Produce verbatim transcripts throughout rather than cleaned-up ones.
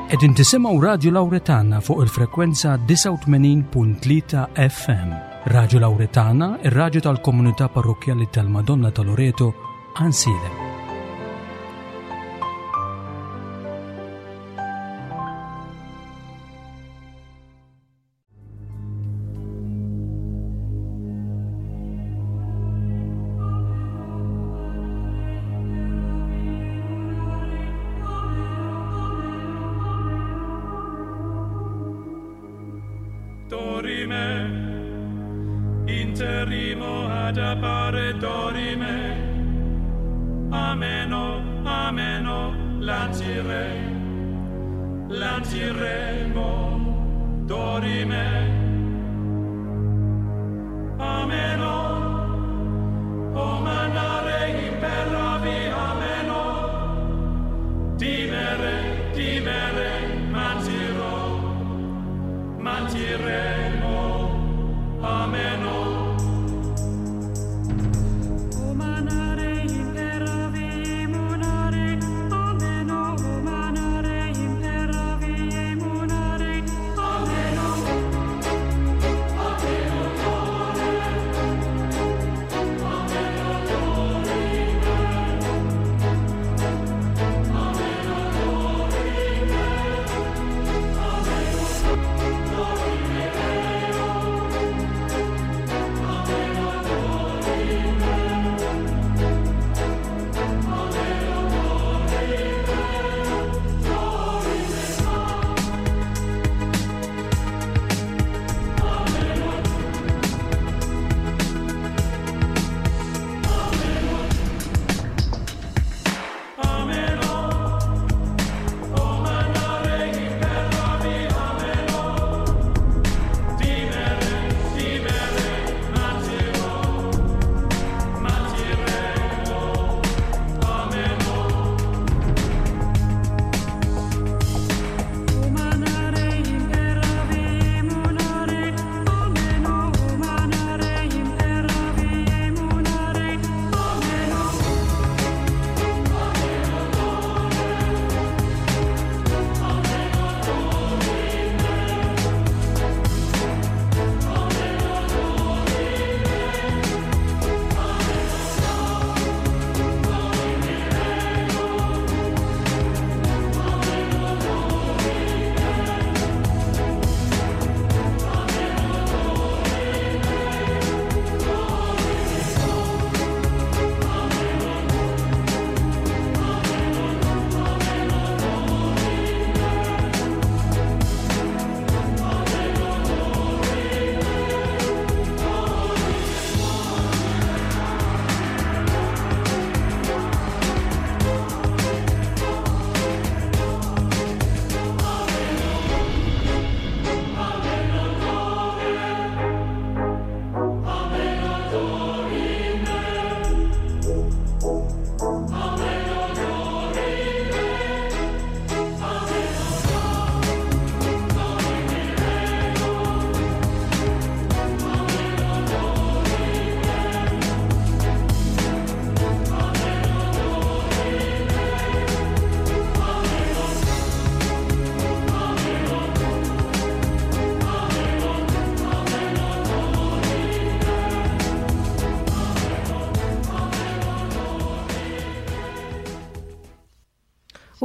Qegħdin tisimgħu Radju Lawretana fuq il-frekwenza disgħa u tmenin punt tlieta F M. Radju Lawretana, ir-radju tal-komunità parrokkjali tal-Madonna ta' Loreto, Għajnsielem.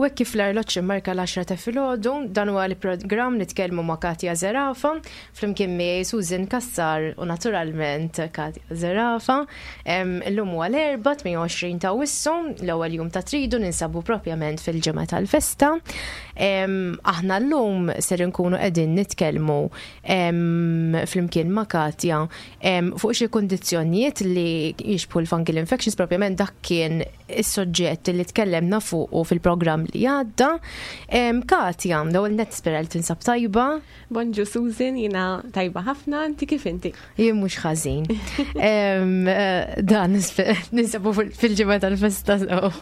U hekk kif l-arloġġ immarka l-għaxra ta' filgħodu, dan huwa l-programm Nitkellmu ma' Katja Zerafa, flimkien miegħi Susan Cassar u naturalment Katja Zerafa. Em, illum huwa l-Erbgħa tmien u għoxrin ta' Awwissu, l-ewwel jum ta' Tridu, ninsabu propjament fil-ġimgħa tal-festa. Em, aħna llum ser inkunu qegħdin nitkellmu, em, flimkien ma' Katja, em, fuq xi kundizzjonijiet li jixbħu l-fungal infections, propjament dak kien is-soġġett li tkellemna fuqu fil-programm li għadda. Em, Katja, l-ewwel nett nispera li tinsab tajba. Bonġu Susan, jiena tajba ħafna, inti kif inti? Jien mhux ħażin. Em, eh, dan nispe-, ninsabu fil-, fil-ġimgħa tal-festa sew.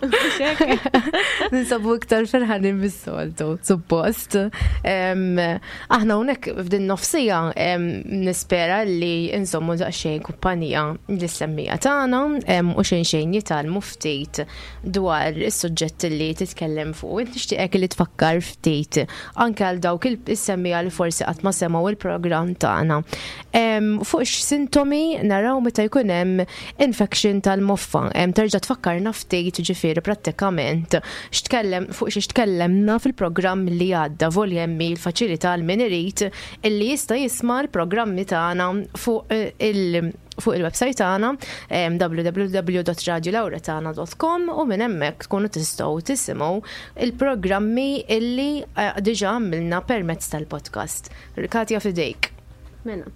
Ninsabu iktar ferħanin bis-soltu, suppost. Em, aħna hawnhekk f'din nofsija, em, nispera li insommu daqsxejn kumpanija lis-semmija tagħna, em, u xejn xejn jitgħallmu ftit dwar is-suġġett li titkellem titkellem fuq. Int nixtieqek li tfakkar ftit anke għal dawk is-semmiegħa li forsi qatt ma semgħu il-programm tagħna. Fuq x'sintomi naraw meta jkun hemm infection tal-moffa. Terġa' tfakkarna ftit, ġifieri prattikament x'tkellem fuq xi tkellemna fil-programm li għadda. Volja hemm il-faċilità għal min irid illi jista' jisma' l-programmi tagħna fuq il- fuq il-website tagħna W W W punt radiolauretana punt com u minn hemmhekk tkunu tistgħu tisimgħu il-programmi illi eh, diġà għamilna permezz tal-podcast. Katja, fidejk. Mela,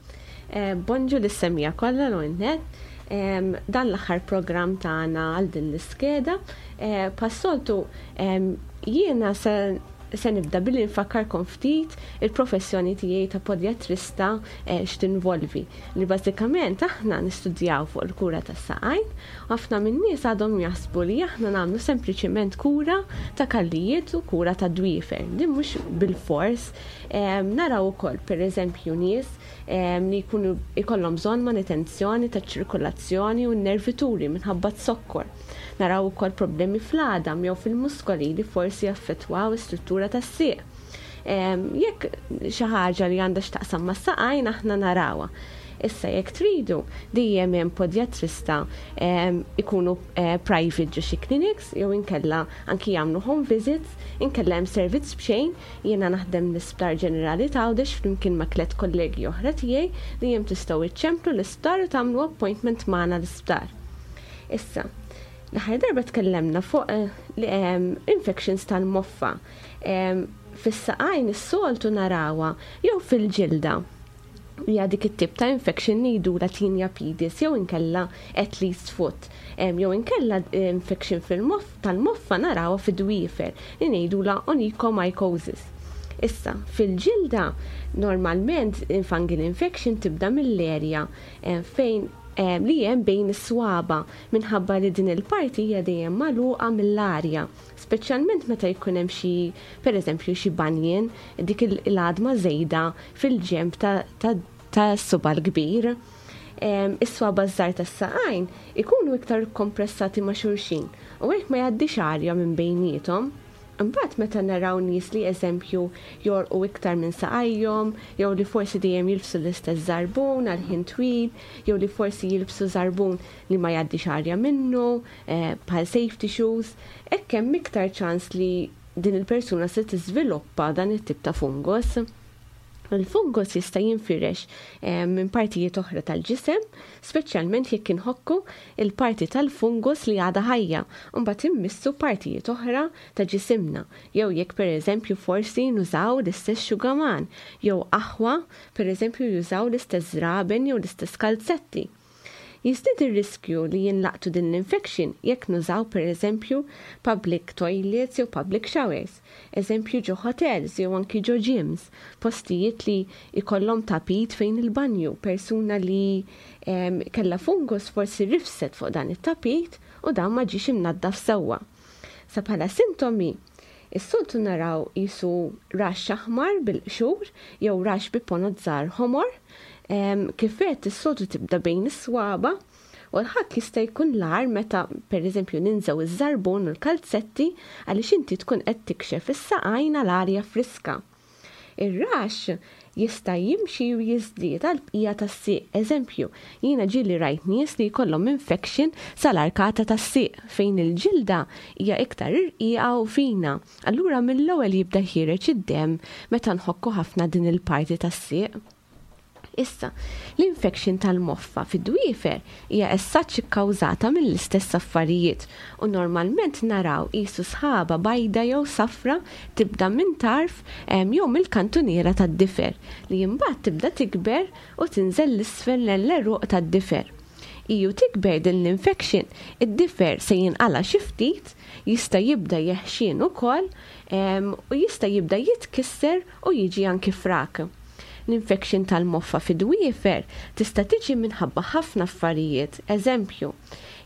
eh, bonġu lis-semmiegħa kollha l-net. Dan l-aħħar programm tagħna għal din l-iskeda. Eh, bħas-soltu jiena se se nibda billi nfakkarkom ftit il-professjoni tiegħi ta' podjatrista eh, x'tinvolvi. Li bażikament aħna nistudjaw fuq il-kura tas-saqajn. Ħafna min-nies għadhom jaħsbu li aħna nagħmlu sempliċiment kura ta' kallijiet u kura ta' dwiefer. Din mhux bil-fors. Naraw ukoll, pereżempju, nies li jkunu ikollhom bżonn manutenzjoni ta' ċirkolazzjoni u nervituri minħabba t-sokkor. Naraw ukoll problemi fl-għadam jew fil-muskoli li forsi jaffettwaw is-struttura tas-sieq. Jekk xi ħaġa li għandha x'taqsam mas-saqajn, aħna narawha. Issa, jekk tridu, dejjem hemm podjatrista ikunu eh, private ġo xi clinics jew inkella anki jagħmlu home visits, inkella hemm servizz b'xejn. Jiena naħdem l-Isptar Ġenerali t'Għawdex flimkien ma' tliet kollegi oħra tiegħi. Dejjem tistgħu iċċemplu l-isptar u tagħmlu appointment magħna l-isptar. Issa, l-aħħar darba tkellemna fuq eh, infections tal-moffa. Fis-saqajn is-soltu narawha jew fil-ġilda. Hija dik it-tip ta' infection ngħidulha tinea pedis jew inkella athlete's foot. Jew inkella infection fil-moff tal-moffa narawha fid-dwiefer li ngħidulha onychomycosis. Issa, fil-ġilda normalment fungal infection tibda mill-erja fejn li hemm bejn is-swaba, minħabba li din il-parti hija dejjem magħluqa mill-arja, speċjalment meta jkun hemm xi, pereżempju, xi banjen, dik il-għadma żejda fil-ġenb ta' suba l-kbir. Is-swaba żgħar tas-saqajn ikunu iktar kompressati ma' xulxin u hekk ma jgħaddix arja minn bejniethom. Imbagħad meta naraw nies li, eżempju, jorqu iktar minn saqajhom, jew li forsi dejjem jilbsu l-istess żarbun għal ħin twil, jew li forsi jilbsu żarbun li ma jgħaddix arja minnu, eh, bħal safety shoes, hekk hemm iktar ċans li din il-persuna se tiżviluppa dan it-tip ta' fungus. Il-fungus jista' jinfirex eh, minn partijiet oħra tal-ġisem, speċjalment jekk inħokku il-parti tal-fungus li għadha ħajja, u mbagħad immissu partijiet oħra ta' ġisimna, jew jekk, pereżempju, forsi nużaw l-istess xugaman, jew aħwa, pereżempju, jużaw l-istess żraben jew l-istess kalzetti. Jiżdied ir-riskju li jinlaqtu din l-infection jekk nużaw, pereżempju, public toilets jew public showers, eżempju ġo hotels jew anki ġo gyms, postijiet li ikollhom tapit fejn il-banju, persuna li um, kella fungus forsi rifset fuq dan it-tapit u dan ma ġiex imnaddaf sewwa. Sa bħala sintomi, is-soltu naraw qisu rash aħmar bil-qxur jew rash bi ponot żgħar ħomor. Kif għedt, is-soltu tibda bejn is-swaba u l-ħakk jista' jkun l-agħar meta, pereżempju, ninżgħu iż-żarbun u l-kalzetti, għaliex inti tkun qed tikxef is-saqajn għal arja friska. Ir-rash jista' jimxi u jiżdied għal bqija tas-sieq. Eżempju, jiena ġieli rajt nies li jkollhom infection sal-arkata tas-sieq fejn il-ġilda hija iktar irqiqa u fina. Allura mill-ewwel jibda ħiereġ id-demm meta nħokku ħafna din il-parti tas-sieq. Issa, l-infection tal-moffa fid-dwiefer hija essaċ ikkawżata mill-istess affarijiet u normalment naraw qisu sħaba bajda jew safra tibda minn tarf jew mill-kantuniera tad-difer li imbagħad tibda tikber u tinżel 'l isfel l-għeruq tad-difer. Iju tikber din l-infection, id-difer se jinqala xi ftit, jista' jibda jeħxien ukoll u jista' jibda jitkisser u jiġi anki frak. L-infection tal-moffa fid-dwiefer tista' tiġi minħabba ħafna affarijiet. Eżempju,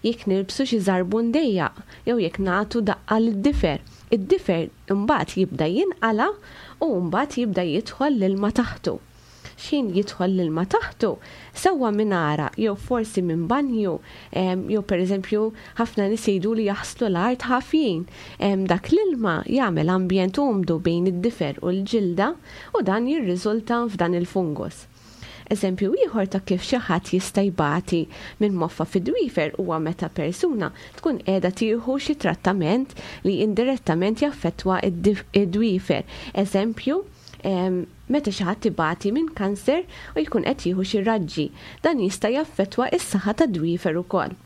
jekk nilbsu xi żarbun dejjaq jew jekk nagħtu daqqa lid-difer. Id-difer imbagħad jibda jinqala u mbagħad jibda jidħol l-ilma taħtu. X'ħin jidħol l-ilma taħtu, sewwa minn għaraq jew forsi minn banju, jew pereżempju ħafna nies jgħidu li jaħslu l-art ħafjin. Dak l-ilma jagħmel ambjent umdu bejn id-difer u l-ġilda u dan jirriżulta f'dan il-fungus. Eżempju ieħor ta' kif xi ħadd jista' jbati minn moffa fid-dwiefer huwa meta persuna tkun qiegħda tieħu xi trattament li indirettament jaffettwa id-dwiefer. Eżempju, meta xi ħadd ibati minn kanser u jkun qed jieħu xi raġġi, dan jista' jaffettwa s-saħħa tad-dwiefer ukoll.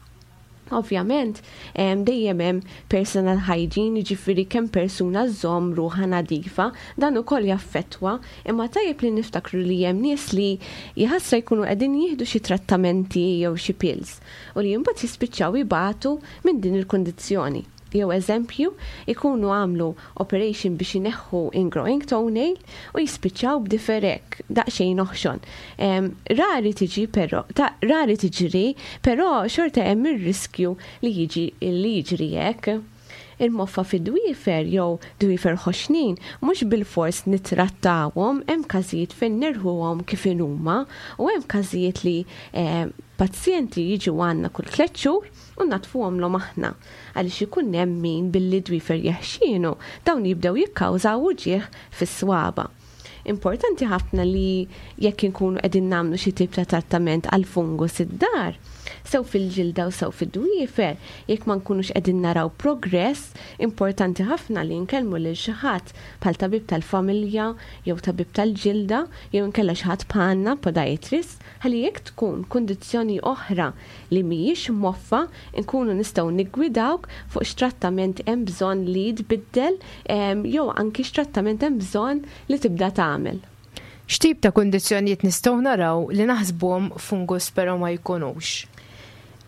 Ovvjament, dejjem hemm personal hygiene, jiġifieri kemm persuna żżomm ruħha nadifa, dan ukoll jaffettwa, imma tajjeb li niftakru li hemm nies li jħassra jkunu qegħdin jieħdu xi trattamenti jew xi pills u li mbagħad jispiċċaw ibatu minn din il-kundizzjoni. Jew eżempju, ikunu għamlu operation biex ineħħu ingrowing toenail u jispiċċaw b'difer hekk, daqsxejn oħxon. Rari tiġi però, ta' rari tiġri, però xorta hemm ir-riskju li jiġi li jiġri hekk. Il-moffa fid-dwiefer jew dwiefer ħoxnin mhux bilfors nittrattawhom, hemm każijiet fejn nerħuhom kif inhuma u hemm każijiet li eh, pazjenti jiġu għandna kull tliet xhur u naddfuhomlhom aħna għaliex ikun hemm min billi dwiefer jeħxienu dawn jibdew jikkawżaw uġigħ fis-swaba. Importanti ħafna li jekk inkunu qegħdin nagħmlu xi tip ta' trattament għal fungus id-dar, sew fil-ġilda u sew fid-dwiefer, jekk ma nkunux qegħdin naraw progress, importanti ħafna li nkellmu lil xi ħadd bħal tabib tal-familja jew tabib tal-ġilda jew inkella xi ħadd bħalna podiatrist, ħalli jekk tkun kundizzjoni oħra li mhijiex moffa, nkunu nistgħu niggwidawk fuq x'trattament hemm bżonn li jitbiddel jew anki x'trattament hemm bżonn li tibda tagħmel. X'tip ta' kundizzjonijiet nistgħu naraw li naħsbuhom fungus però ma jkunux?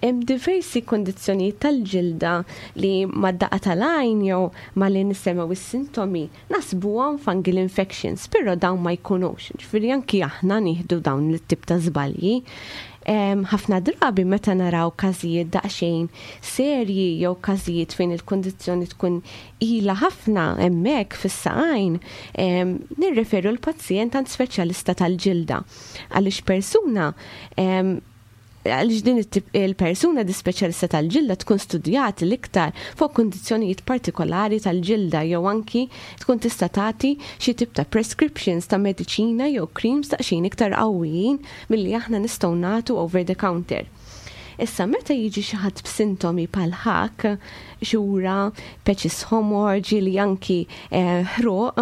Hemm diversi kundizzjonijiet tal-ġilda li mad-daqqa tal-għajn jew malli nisimgħu is-sintomi naħsbuhom fungal infections, però dawn ma jkunux. Ġifieri anki aħna nieħdu dawn it-tip ta' żbalji. Ħafna drabi meta naraw każijiet daqsxejn serji jew każijiet fejn il-kundizzjoni tkun ilha ħafna hemmhekk fis-saqajn, nirreferu l-pazjent għand speċjalista tal-ġilda. Għaliex persuna għaliex din il-persuna di speċjalista tal-ġilda tkun studjat l-iktar fuq kundizzjonijiet partikolari tal-ġilda jew anki tkun tista' tagħti xi tip ta' prescriptions ta' mediċina jew creams daqsxejn iktar qawwijin milli aħna nistgħu nagħtu over the counter. Issa meta jiġi xi ħadd b'sintomi bħal ħak, xura, patches ħomor, ġieli anki eh, ħruq,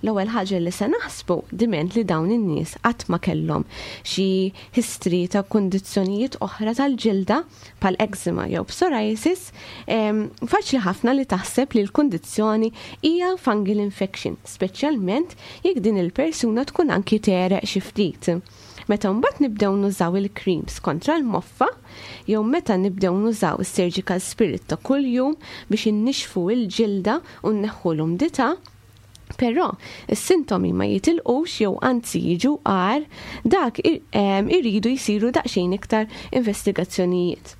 l-ewwel ħaġa li se naħsbu diment li dawn in-nies qatt ma kellhom xi history ta' kundizzjonijiet oħra tal-ġilda bħal eczema jew psoriasis, faċli ħafna li taħseb li l-kundizzjoni hija fungal infection, speċjalment jekk din il-persuna tkun anki tegħreq xi ftit. Meta mbagħad nibdew nużaw il-creams kontra l-moffa, jew meta nibdew nużaw is-surgical spirit ta' kuljum biex innixfu il-ġilda u nneħħu l-umdità, però is-sintomi ma jitilqux jew anzi jiġu agħar, dak iridu jsiru daqsxejn iktar investigazzjonijiet.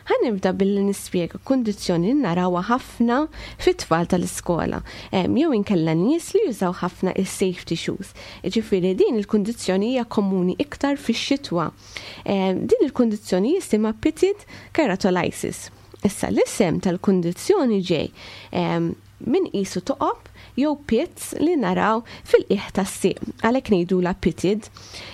Ħa nibda billi nispjega kundizzjoni narawha ħafna fit-tfal tal-iskola, jew inkella nies li jużaw ħafna is-safety shoes. Ġifieri din il-kundizzjoni hija komuni iktar fix-xitwa. Din il-kundizzjoni jisimha pitted keratolysis. Issa l-isem tal-kundizzjoni ġej min qisu toqob jew pits li naraw fil-qiegħ tas-sieq. Għalhekk ngħidulha pitted.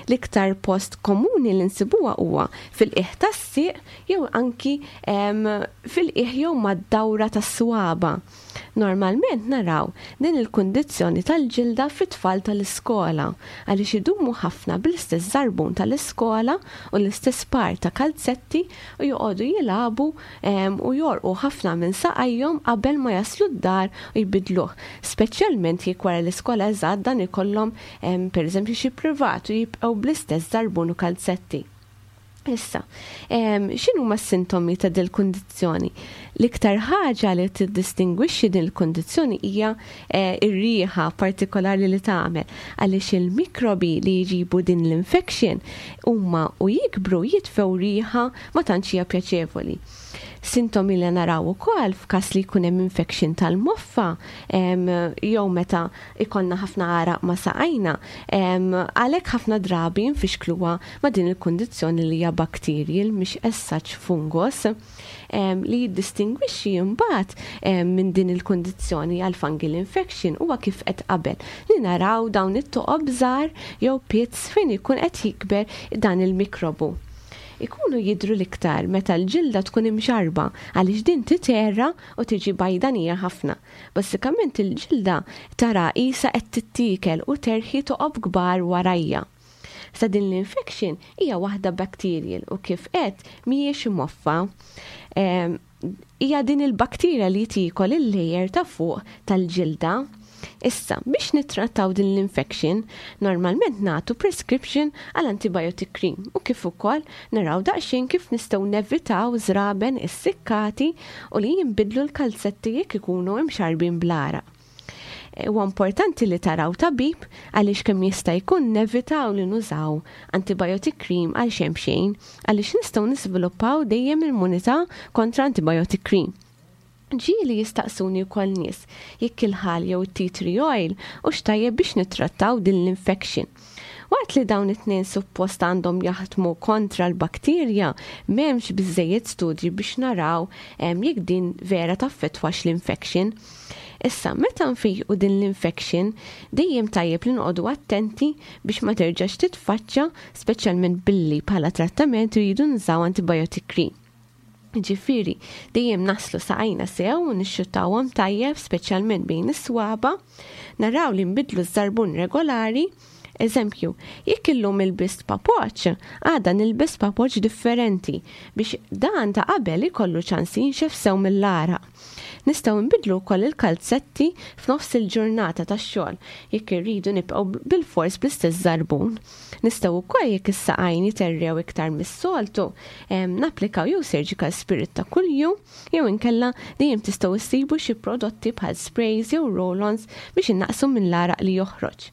L-iktar post komuni li nsibuha huwa fil-qiegħ tas-sieq jew anki fil-qiegħ jew mad-dawra tas-swaba. Normalment naraw din il-kundizzjoni tal-ġilda fit-tfal tal-iskola għaliex idumu ħafna bl-istess żarbun tal-iskola u l-istess par ta' kalzetti u joqogħdu jilagħbu u jorqu ħafna minn saqajhom qabel ma jaslu d-dar u jbidluh. Speċjalment jekk wara l-iskola eżatt dan ikollhom pereżempju xi privat u jibqgħu bl-istess żarbun u kalzetti. Issa, x'inhuma s-sintomi ta' dil kundizzjoni? L-iktar ħaġa li tiddistingwixxi din il-kundizzjoni hija eh, ir-riħa partikolari li tagħmel għaliex il-mikrobi li jġibu din l-infection huma u jikbru jitfew riħa ma tantx hija pjaċevoli. Sintomi li naraw ukoll f'każ li jkun hemm infection tal-moffa jew meta ikollna ħafna għaraq ma' saqajna, għalhekk ħafna drabi nfixkluha ma' din il-kundizzjoni li hija bacterial, mhix as such fungus. Li jiddistingwixxi imbagħad minn din il-kundizzjoni għal fungal infection huwa kif qed qabel li naraw dawn it-toqob żgħar jew pits fejn ikun qed jikber dan il-mikrobu. Ikunu jidru l-iktar meta l-ġilda tkun imxarba, għaliex din titerra u tiġi bajdanija ħafna. Basikament il-ġilda tara qisha qed tittikel u terħi toqob kbar warajja. Sa din l-infection hija waħda bacterial u kif qed mhijiex moffa. Hija din il-bakterja li tiekol il-layer ta' fuq tal-ġilda. Issa, biex nittrattaw din l-infection, normalment nagħtu prescription għal antibiotic cream u kif ukoll naraw daqsxejn kif nistgħu nevitaw żraben issikkati u li jinbidlu l-kalzetti jekk ikunu imxarbin bl-għaraq. Huwa importanti li taraw tabib, għaliex kemm jista' jkun nevitaw li nużaw antibiotic cream għal xejn xejn, għaliex nistgħu nisviluppaw dejjem immunità kontra antibiotic cream. Ġieli jistaqsuni wkoll nies jekk il-ħal jew tea tree oil hux tajjeb biex nittrattaw din l-infection. Waqt li dawn it-tnejn suppost għandhom jaħdmu kontra l-bakterja, m'hemmx biżejjed studji biex naraw jekk din vera taffettwax l-infection. Issa, meta nfejqu din l-infection, dejjem tajjeb li noqogħdu attenti biex ma terġax titfaċċa, speċjalment billi bħala trattament rridu nużaw antibiotic cream. Ġifieri, dejjem naħslu saqajna sew u nixxuttawhom tajjeb, speċjalment bejn is-swaba, naraw li nbidlu ż-żarbun regolari. Eżempju, jekk illum ilbist papoċ, għada nilbes papoċ differenti biex dan ta' qabel ikollu ċans jinxef sew mill-għaraq. Nistgħu nbidlu wkoll il-kalzetti f'nofs il-ġurnata tax-xogħol jekk irridu nibqgħu bil-fors bl-istess żarbun. Nistgħu wkoll, jekk is-saqajn jiterrew iktar mis-soltu, napplikaw jew surgical spirit ta' kuljum jew inkella dejjem tistgħu issibu xi prodotti bħal sprays jew roll-ons biex innaqsu minn l-għaraq li joħroġ.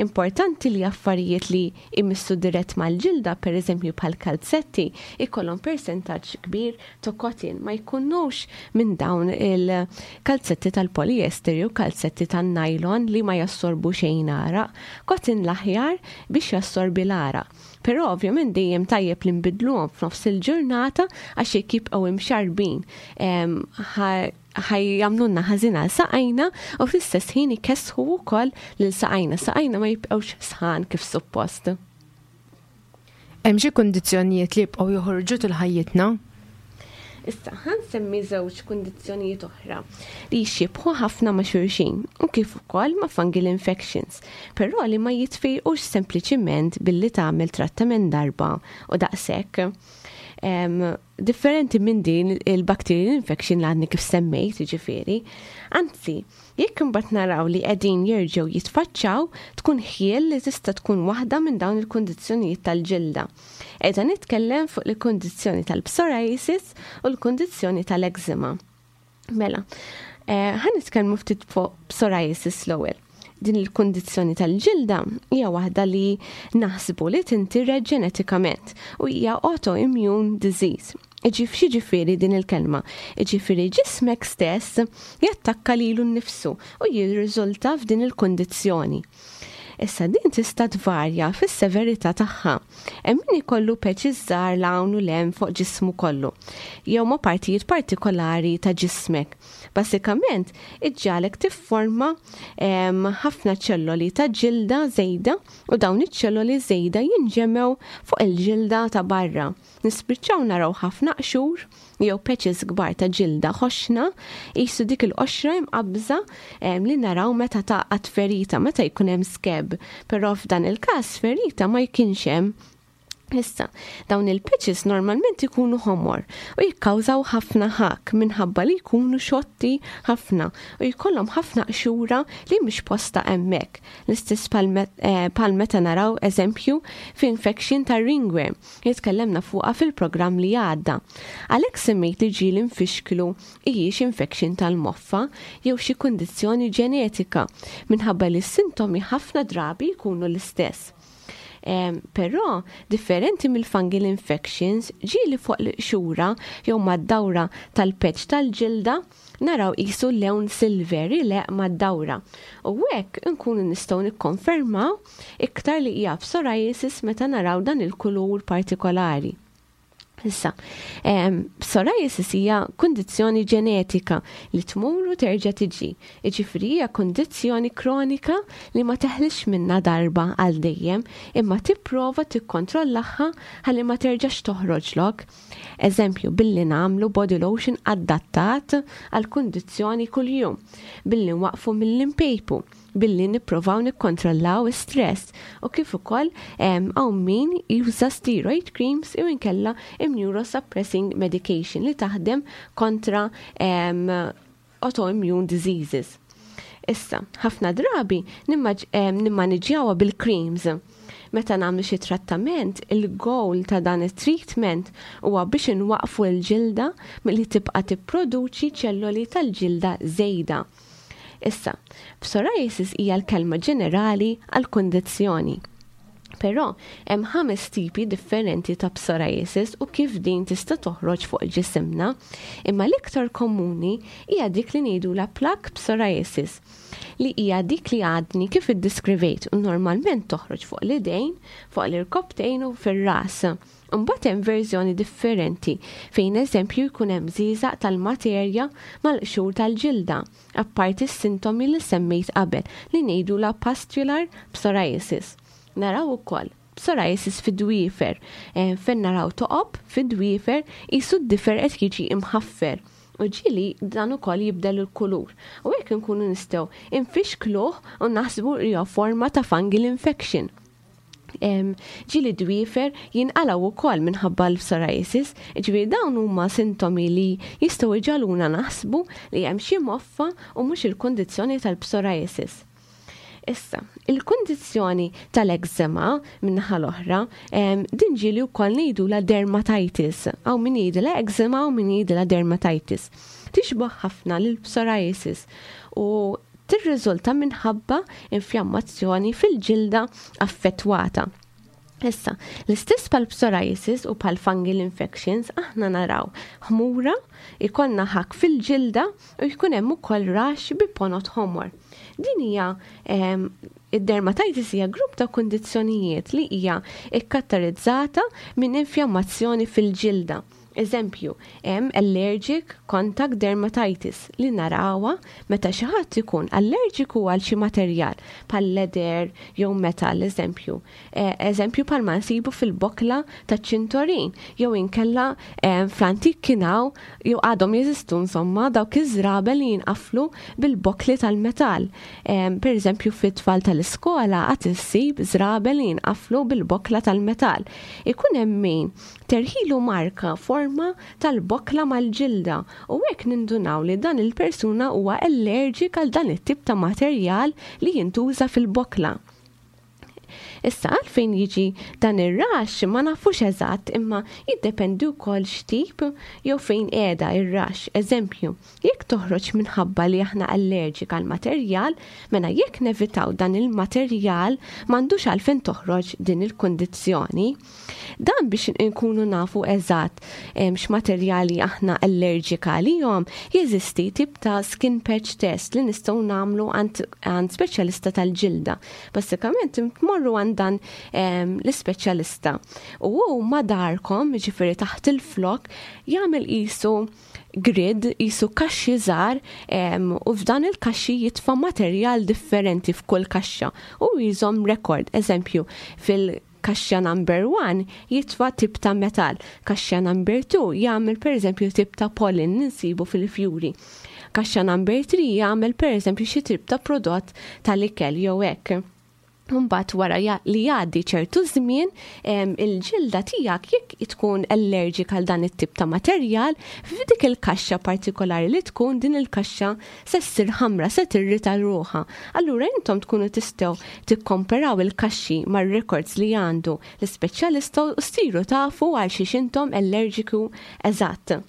Importanti li affarijiet li imissu dirett mal-ġilda, per eżempju bħal kalzetti, ikollhom percentaġġ kbir ta' cotton, ma jkunux minn dawn il-kalzetti tal-polyester jew kalzetti tan-nylon li ma jassorbu xejn għaraq. Cotton l-aħjar biex jassorbi l-għaraq. Però ovvjament dejjem tajjeb li nbidluhom f'nofs il-ġurnata, għax jekk jibqgħu imxarbin ħa jagħmlulna ħażin għal saqajna u fl-istess ħin ikessħu wkoll lil saqajna. Saqajna ma jibqgħux sħan kif suppost. Hemm xi kundizzjonijiet li jibqgħu joħorġu tul ħajjitna? Issa, ħa nsemmi żewġ kundizzjonijiet oħra li jixxibħu ħafna ma' xulxin u kif ukoll ma' fungal infections, però li ma jitfejqux sempliċiment billi tagħmel trattament darba u daqshekk. Em, differenti minn din il-bacterial infection li għadni kif semmejt, ġifieri. Anzi, jekk imbagħad naraw li qegħdin jerġgħu jitfaċċaw, tkun ħjiel li tista' tkun waħda minn dawn il-kundizzjonijiet tal-ġilda. Qiegħda nitkellem fuq il-kundizzjoni tal-psoriasis u l-kundizzjoni tal-eczema. Mela, eh, ħa nitkellmu ftit fuq psoriasis l-ewwel. Din il-kundizzjoni tal-ġilda hija waħda li naħsbu li tintiret ġenetikament u hija autoimmune disease. Ġifieri din il-kelma? Ġifieri ġismek stess jattakka lilu nnifsu u jirriżulta f'din il-kundizzjoni. Issa, din tista' tvarja fis-severità tagħha. Hemm min ikollu patches żgħar 'l hawn u 'l hemm fuq ġismu kollu, jew ma' partijiet partikolari ta' ġismek. Basikament, iġġagħlek tifforma ħafna ċelloli ta' ġilda żejda u dawn iċ-ċelloli żejda jinġemgħu fuq il-ġilda ta' barra. Nispiċċaw naraw ħafna qxur jew patches kbar ta' ġilda ħoxna, qisu dik il-qoxra imqabża li naraw meta tagħqad ferita, meta jkun hemm scab, però f'dan il-każ ferita ma jkunx hemm. Issa, dawn il-patches normalment ikunu ħomor u jikkawżaw ħafna ħak minħabba li jkunu xotti ħafna u jkollhom ħafna qxura li mhix posta hemmhekk. L-istess bħal meta naraw, eżempju, f'infection ta' ringworm li tkellemna fuqha fil-programm li għadda. Għalhekk semmejt li ġieli nfixklu hijiex infection tal-moffa jew xi kundizzjoni ġenetika, minħabba li s-sintomi ħafna drabi jkunu l-istess. Però, differenti mill-fungal infections, ġieli fuq l-qxura jew mad-dawra tal-patch tal-ġilda naraw qisu lewn silver ileqq mad-dawra. U hekk nkunu nistgħu nikkonfermaw iktar li hija psoriasis meta naraw dan il-kulur partikolari. Issa, psoriasis hija kundizzjoni ġenetika li tmur u terġa' tiġi. Jiġifieri hija kundizzjoni kronika li ma teħlix minna darba għal dejjem, imma tipprova tikkontrollaha ħalli ma terġax toħroġlok. Eżempju, billi nagħmlu body lotion adattat għal kundizzjoni kuljum, billi nwaqfu milli npejpu, billi nipprovaw nikkontrollaw stress u kif ukoll hawn min juża steroid creams jew inkella immunosuppressing medication li taħdem kontra autoimmune diseases. Issa, ħafna drabi nimmaniġjawha bil-creams. Meta nagħmlu xi trattament, il-goal ta' dan it-treatment huwa biex inwaqfu l-ġilda milli tibqa' tipproduċi ċelloli tal-ġilda żejda. Issa, psoriasis hija l-kelma ġenerali għal kundizzjoni. Però hemm ħames tipi differenti ta' psoriasis u kif din tista' toħroġ fuq ġisimna, imma l-iktar komuni hija dik li ngħidulha plaque psoriasis, li hija dik li għadni kif iddiskrivejt u normalment toħroġ fuq l-idejn, fuq l-irkoptejn u fir-ras. Imbagħad hemm verżjoni differenti fejn, eżempju, jkun hemm żiżaq tal-materja mal-qxur tal-ġilda, apparti s-sintomi li semmejt qabel, li ngħidulha pustular psoriasis. Naraw ukoll psoriasis fid-dwiefer, eh, fejn naraw toqob fid-dwiefer, qisu d-difer qed jiġi imħaffer. U ġieli dan ukoll jibdel il-kulur. U hekk nkunu nistgħu infixkluh u naħsbu li forma ta' fungal infection. Ġieli dwiefer jinqalgħu ukoll minħabba l-psoriasis, ġifieri dawn huma sintomi li jistgħu jġagħluna naħsbu li hemm xi moffa u mhux il-kundizzjoni tal-psoriasis. Issa, il-kundizzjoni tal-eczema min-naħa l-oħra, din ġieli wkoll ngħidulha dermatitis, hawn min jgħidilha eczema u min jgħidilha dermatitis. Tixbaħ ħafna lil psoriasis u tirriżulta minħabba infjammazzjoni fil-ġilda affettwata. Issa, l-istess bħal psoriasis u bħal fungal infections, aħna naraw ħmura, ikollna ħak fil-ġilda u jkun hemm ukoll rash bi ponot ħomor. Din hija, id-dermatitis hija grupp ta' kundizzjonijiet li hija ikkaratterizzata minn infjammazzjoni fil-ġilda. Eżempju, hemm allergic contact dermatitis li narawha meta xi ħadd ikun allerġiku għal xi materjal bħal leather jew metal, eżempju. E, eżempju bħal ma nsibu fil-bokla ta' ċintorin jew inkella e, fl-antik kien hawn jew għadhom jeżistu, insomma, dawk iż-żraben li jinqaflu bil-bokli tal-metall. E, per eżempju, fit-tfal tal-iskola għad issib żraben li jinqaflu bil-bokla tal-metall. Ikun hemm min terħilu marka forma tal-bokla mal-ġilda u hekk nindunaw li dan il-persuna huwa allergic għal dan it-tip ta' materjal li jintuża fil-bokla. Issa, għalfejn jiġi dan ir-rash ma nafux eżatt, imma jiddependi wkoll x'tip jew fejn qiegħda ir-rash. Eżempju, jekk toħroġ minħabba li aħna allergic għal materjal, mela jekk nevitaw dan il-materjal m'għandux għalfejn toħroġ din il-kundizzjoni. Dan biex nkunu nafu eżatt x'materjali aħna allergic għalihom, jeżisti tip ta' skin patch test li nistgħu nagħmlu għand speċjalista tal-ġilda. Basikament tmorru għand dan l-ispeċjalista. U hu ma darkom, ġifieri taħt il-flok, jagħmel qisu grid, qisu kaxxi żgħar, u f'dan il-kaxxi jitfa' materjal differenti f'kull kaxxa u jżomm rekord. Eżempju, fil- kaxxa number one jitfa' tip ta' metal, kaxxa number two jagħmel, per eżempju, tip ta' pollen ninsibu fil-fjuri. Kaxxa number three jagħmel, per eżempju, xi tip ta' prodott tal-ikel jew hekk. Mbagħad wara li jgħaddi ċertu żmien, il-ġilda tiegħek, jekk tkun allergic għal dan it-tip ta' materjal, f'dik il-kaxxa partikolari li tkun din il-kaxxa se ssir ħamra, se tirrita ruħha. Allura intom tkunu tistgħu tikkomparaw il-kaxxi mar-records li għandu l-ispeċjalista u ssiru tafu għal xiex intom allergiku eżatt.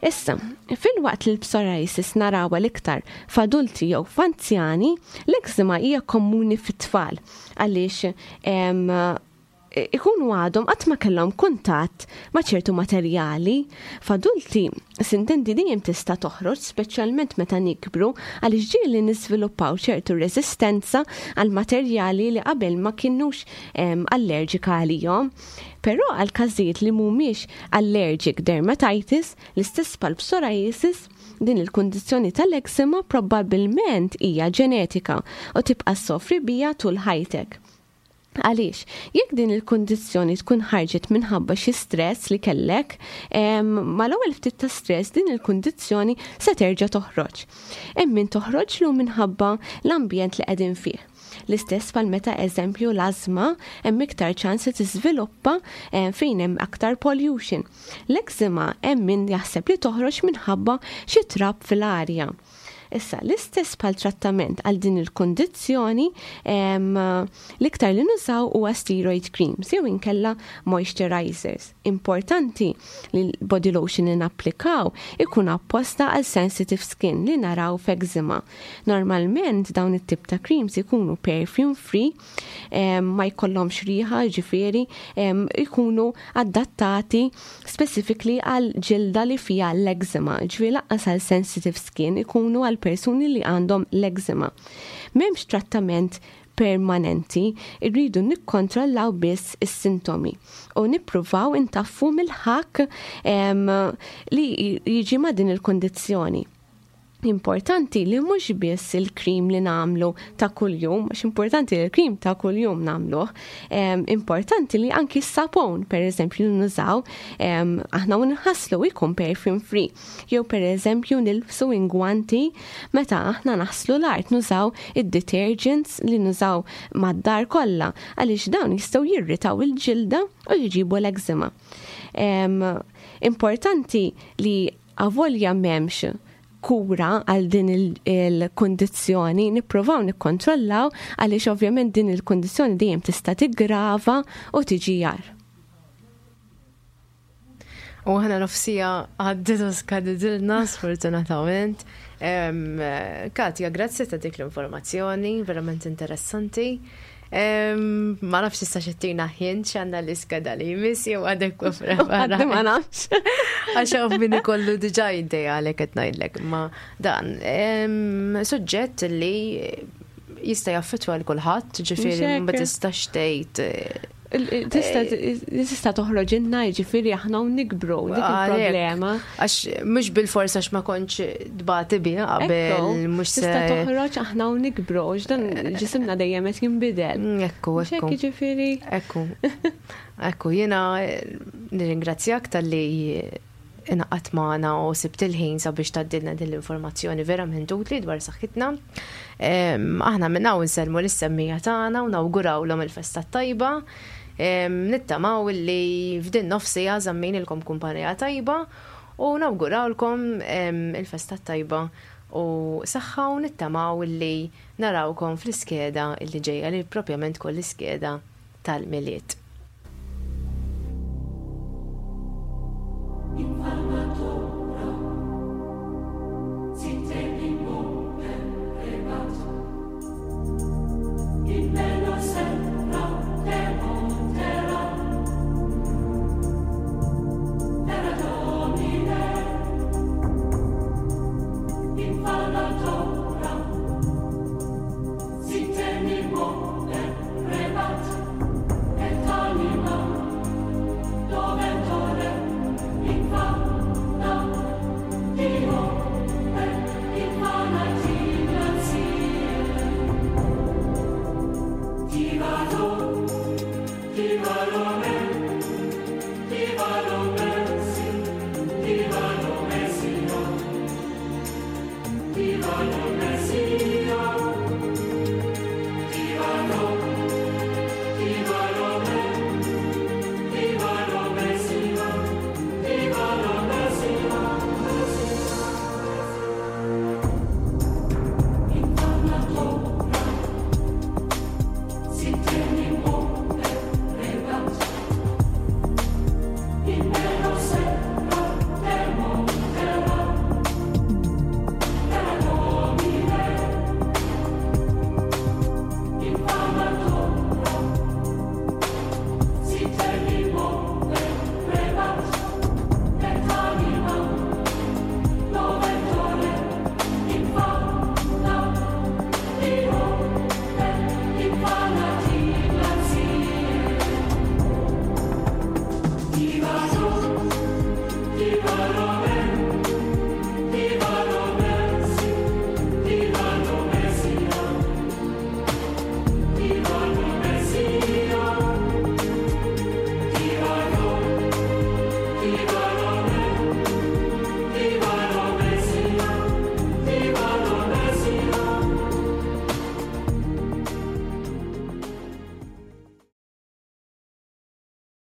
Issa, filwaqt li l-psoriasis narawha l-iktar f'adulti jew f'anzjani, l-eczema hija komuni fit-tfal għaliex ikunu għadhom qatt ma kellhom kuntatt ma' ċertu materjali. F'adulti, sintendi, dejjem tista' toħroġ, speċjalment meta nikbru, għaliex ġieli niżviluppaw ċertu resistenza għal materjali li qabel ma kinux allerġika għalihom. Però għal każijiet li mhumiex allergic dermatitis, l-istess bħal psoriasis, din il-kundizzjoni tal-eczema probabbilment hija ġenetika u tibqa' ssofri biha tul ħajtek. Għaliex, jekk din il-kundizzjoni tkun ħarġet minħabba xi stress li kellek, mal-ewwel ftit ta' stress din il-kundizzjoni se terġa' toħroġ. Hemm min toħroġlu minħabba l-ambjent li qegħdin fih. L-istess bħal meta, eżempju, l-azma hemm iktar ċans li tiżviluppa fejn hemm aktar pollution. L-eczema hemm min jaħseb li toħroġ minħabba xi trab fil-arja. Issa, l-istess bħal trattament għal din il-kundizzjoni, l-iktar li nużaw huwa steroid creams jew inkella moisturizers. Importanti li l-body lotion li napplikaw ikun apposta għal sensitive skin li naraw f'eczema. Normalment dawn it-tip ta' creams ikunu perfume free, ma jkollhomx riħa, ġifieri ikunu adattati specifically għal ġilda li fija l-eczema, ġifieri lanqas għal sensitive skin, ikunu għal persuni li għandhom l-eczema. M'hemmx trattament permanenti, irridu nikkontrollaw biss is-sintomi u nippruvaw intaffu mill-ħakk li jiġi ma' din il-kundizzjoni. Importanti li mhux biss il-krim li nagħmlu ta' kuljum, għax importanti li l-krim ta' kuljum nagħmluh, importanti li anki s-sapon, per eżempju, nużaw, aħna u nħaslu jkun perfume free. Jew per eżempju nilbsu ingwanti meta aħna naħslu l-art, nużaw id-detergents li nużaw mad-dar kollha, għaliex dawn jistgħu jirritaw il-ġilda u jġibu l-eczema. Importanti li avolja m'hemmx kura għal din il-kundizzjoni, nippruvaw nikkontrollaw, għaliex ovvjament din il-kundizzjoni dejjem tista' tiggrava u tiġi agħar. U aħna nofs siegħa għaddiet u skadidilna, sfortunatament. Katja, grazzi ta' dik l-informazzjoni, verament interessanti. Ma nafx issa xettina ħin x'għandna l-iskeda li jmiss jew għadek prepara. Ma nafx. Għax hawn min ikollu diġà idea għalhekk qed ngħidlek. Ma dan suġġett li jista' jaffettwa lil kulħadd, ġifieri ma tistax tgħid. Tista' tista' toħroġ inna, ġifieri aħna u nikbru dik il-problema. Għax mhux bil-forsa għax ma kontx tbati biha qabel, mhux Tista' toħroġ aħna u nikbru, dan ġisimna dejjem qed jinbidel. Ekku, ekku. Ġifieri. Ekku. Ekku, jiena nirringrazzjak talli ingħaqadt magħna u sibt il-ħin sabiex tgħaddilna din l-informazzjoni verament utli dwar saħħitna. Aħna minn hawn insellmu lis-semmiegħa tagħna u nawgurawlhom il-festa tajba. Nittamaw li f'din nofs siegħa żammejnilkom kumpanija tajba u nawgurawlkom il-festa tajba u saħħa u nittamaw li narawkom fl-iskeda illi ġejja, li propjament kull iskeda tal-Milied.